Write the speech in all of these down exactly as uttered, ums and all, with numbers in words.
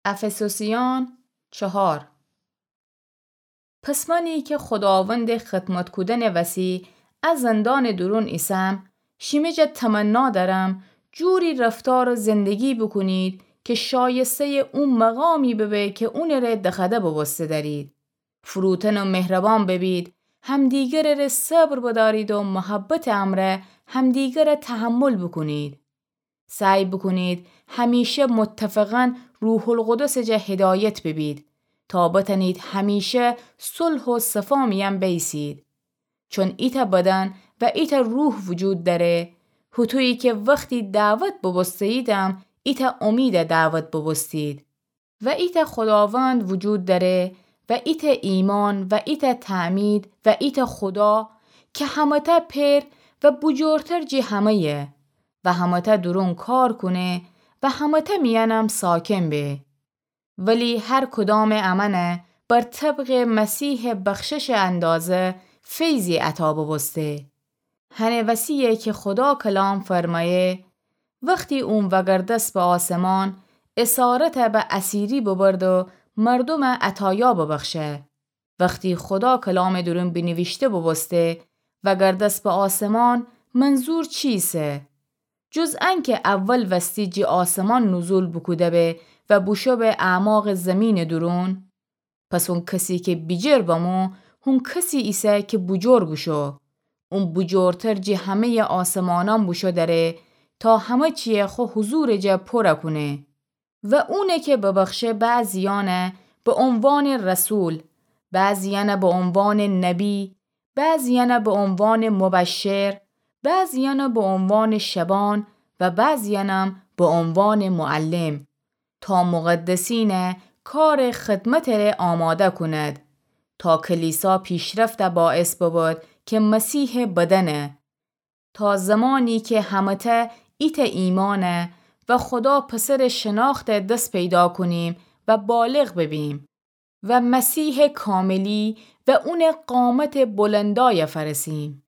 افسوسیان چهار. پس منی کی خوداوندٚ خدمت کودنٚ وسی ا زندانٚ دورون ایسم، شیمی جا تمنا دأرم جوری رفتار و زندگی بوکونید کی شایسته‌یٚ او مقامی ببه کی اونٚ ره دخوأده بوبوسته دأرید. فروتن و مهربان ببید، همدیگرٚ ره صبر بدأرید و محبتٚ امرأ همدیگرَ تحمل بوکونید. سعی بوکونید همیشه متفقاً روح‌القدسٚ جا هدایت ببید تا بتأنید همیشه صلح و صفا میأن بایسید. چون ایتأ بدن و ایتأ روح وجود دأره، هوطویی کی وختی دعوت بوبوسته‌ییدم ایتأ امید دعوت بوبوستید. و ایتأ خوداوند وجود دأره و ایتأ ایمأن و ایتأ تعمید و ایتأ خودا کی همه‌تأ پئر و بوجورتر جٚه همه‌یه و همه‌تأ دورون کار کونه و همه‌تأ میأنم ساکن به. ولی هر کدامٚ امأنَ بر طبقٚ مسیحٚ بخششٚ اندازه فیضی عطا بوبوسته. هنٚ وسی‌یه کی خودا کلام فرمأیه: وختی اون وگردس به آسمان، اسارتَ به اسیری ببرد و مردومَ عطایا ببخشه. وختی خودا کلامٚ دورون بینیویشته بوبوسته وگردس به آسمان، منظور چیسه؟ جز انکی اول وستی جٚه آسمان نزول بوکوده به و بوشو به اعماقٚ زیمینٚ دورون؟ پس اون کسی کی بیجر بمو، هون کسی ایسه کی بوجور بوشو. اون بوجورتر جٚه همه‌یٚ آسمانأن بوشو دره تا همه چیَ خو حضورٚ جا پورَ کونه. و اونَ کی ببخشه بعضیأنَ به عنوانٚ رسول، بعضیأنَ به عنوانٚ نبی، بعضیأنَ به عنوانٚ مبشر، بعضیأنَ به عنوانٚ شبان و بعضیأنم به عنوانٚ معلم، تا مقدسینٚ کارٚ خدمتٚ ره آماده کند، تا کلیسا پیشرفتَ باعث ببد کی مسیحٚ بدنه، تا زمانی کی همه‌تأ ایتأ ایمأنَ و خودا پسرٚ شناختَ دس پیدا کونیم و بالغ ببیم و مسیحٚ کاملی و اونٚ قامتٚ بلندایَ فأرسیم.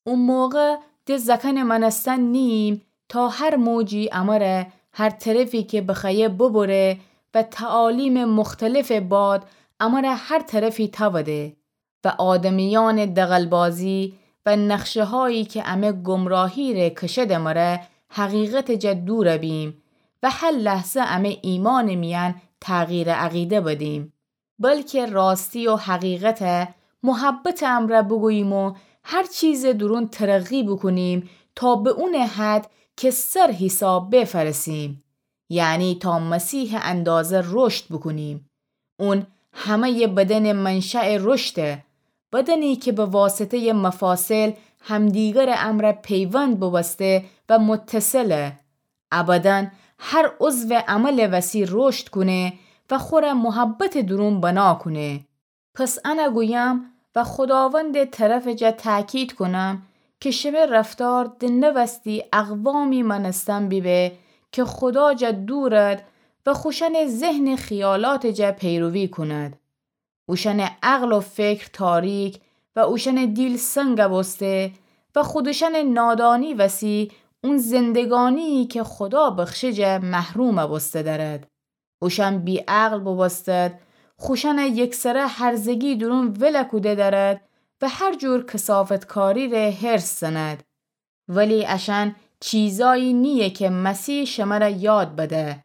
او موقع ده زأکأنٚ مأنستن نیییم تا هر موجی امره هر طرفی کی بخوأیه ببره و تعالیمٚ مختلفٚ باد امره هر طرفی تأوده و آدمیأنٚ دغلبازی و نقشه‌هایی کی امه گمراهی ره کشده مره حقیقتٚ جا دورَ بیم و هر لحظه امه ایمأنٚ میأن تغییرٚ عقیده بدیم. بلکی راستی و حقیقتَ محبتٚ امرأ بوگوییم و هر چیزٚ دورون ترقی بوکونیم تا به اونٚ حد کی سر حیساب به فأرسیم، یعنی تا مسیحٚ اندازه رشد بوکونیم. اون همه‌یٚ بدنٚ منشأٚ رشده، بدنی کی به واسطه‌یٚ مفاصل همدیگرٚ امرأ پیوند بوبوسته و متصله. ا بدن هر عضوٚ عملٚ وسی رشد کونه و خوره محبتٚ دورون بنا کونه. پس انَ گویم و خوداوندٚ طرفٚ جا تأکید کونم کی شمه رفتار دنه وستی اقوامی مأنستن بیبه کی خودا جا دورد و خوشأنٚ ذهنٚ خیالاتٚ جا پیروی کند. اوشأنٚ عقل و فکر تاریک و اوشأنٚ دیل سنگ بوسته و خودشأنٚ نادانی وسی اون زندگانیی کی خودا بخشه جا محروم بوسته دأرد. اوشأن بی‌عقل بوبوستد، خوشأنٚ یکسره هرزگی دورون ول کوده دأرد و هر جور کثافتکاری ره حرص زند. ولی اشأن چیزایی نییه کی مسیح شمره یاد بده.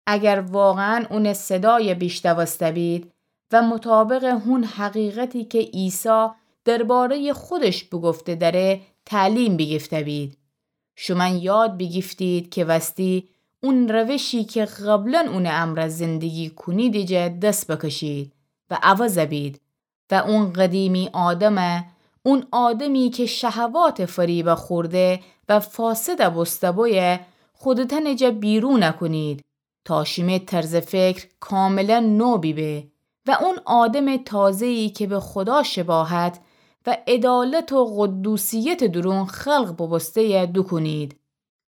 اگر واقعاً اونٚ صدای بیشنوسته بید و مطابقٚ هون حقیقتی کی عیسی درباره‌یٚ خودش بوگفته دأره تعلیم بیگیفته بید. شومأن یاد بیگیفتید کی وستی اون روشی کی قبلاً اونٚ امرأ زندگی کونیدی جا دس بکشید و عوض بید و اون قدیمی آدمَ، اون آدمی کی شهواتٚ فریبَ خورده و فاسد بوسته بویه، خودتأنٚ جا بیرون کونید تا شیمه طرزٚ فکر کاملاً نو بیبه و اون آدمٚ تازه‌یی کی به خودا شباهت و عدالت و قدوسیتٚ دورون خلق بوبوسته‌یه دوکونید.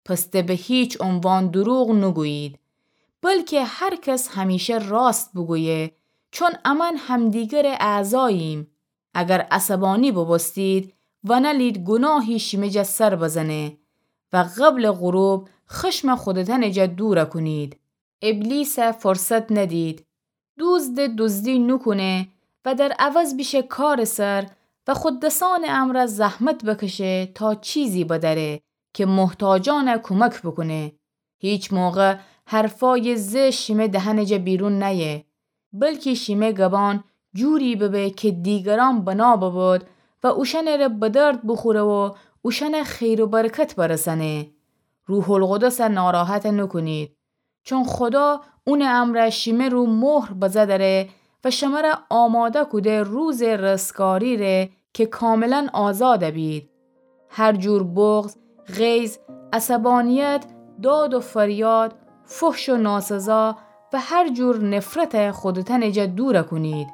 پس ده به هیچ عنوان دروغ نوگویید، بلکی هر کس همیشه راست بوگویه، چون امأن همدیگرٚ اعضاییم. اگر عصبانی بوبوستید، ونلید گوناهی شیمه جا سر بزنه و قبلٚ غروب خشمَ خودتأنٚ جا دورَ کونید. ابلیسَ فرصت ندید. دوزدَ دوزدی نوکونه و در عوض بیشه کارٚ سر و خو دسأنٚ امرأ زحمت بکشه تا چیزی بدأره که محتاجأنَ کمک بوکونه. هیچ موقع حرفأیٚ زشت شیمه دهنٚ جا بیرون نأیه، بلکی شیمه گبان جوری ببه که دیگرأن بنا ببود و اوشأنٚره به درد بوخوره و اوشأنَ خیر و برکت برسأنه. روح‌القدسَ ناراحت نوکونید، چون خودا اونٚ امرأ شیمه رو مهر بزه دأره و شمره آماده کوده روزٚ رستگاری ره که کاملاً آزاد بید. هر جور بغض، غیظ، عصبانیت، داد و فریاد، فحش و ناسزا و هر جور نفرتَ خودتأنٚ جا دور کونید.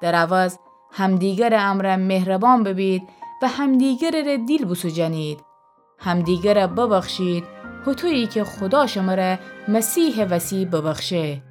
در عوض همدیگرٚ امرأ مهربان ببید و همدیگرٚ ره دیل بوسوجنید. همدیگرَ ببخشید، هوطویی که خودا شمره مسیحٚ وسی ببخشه.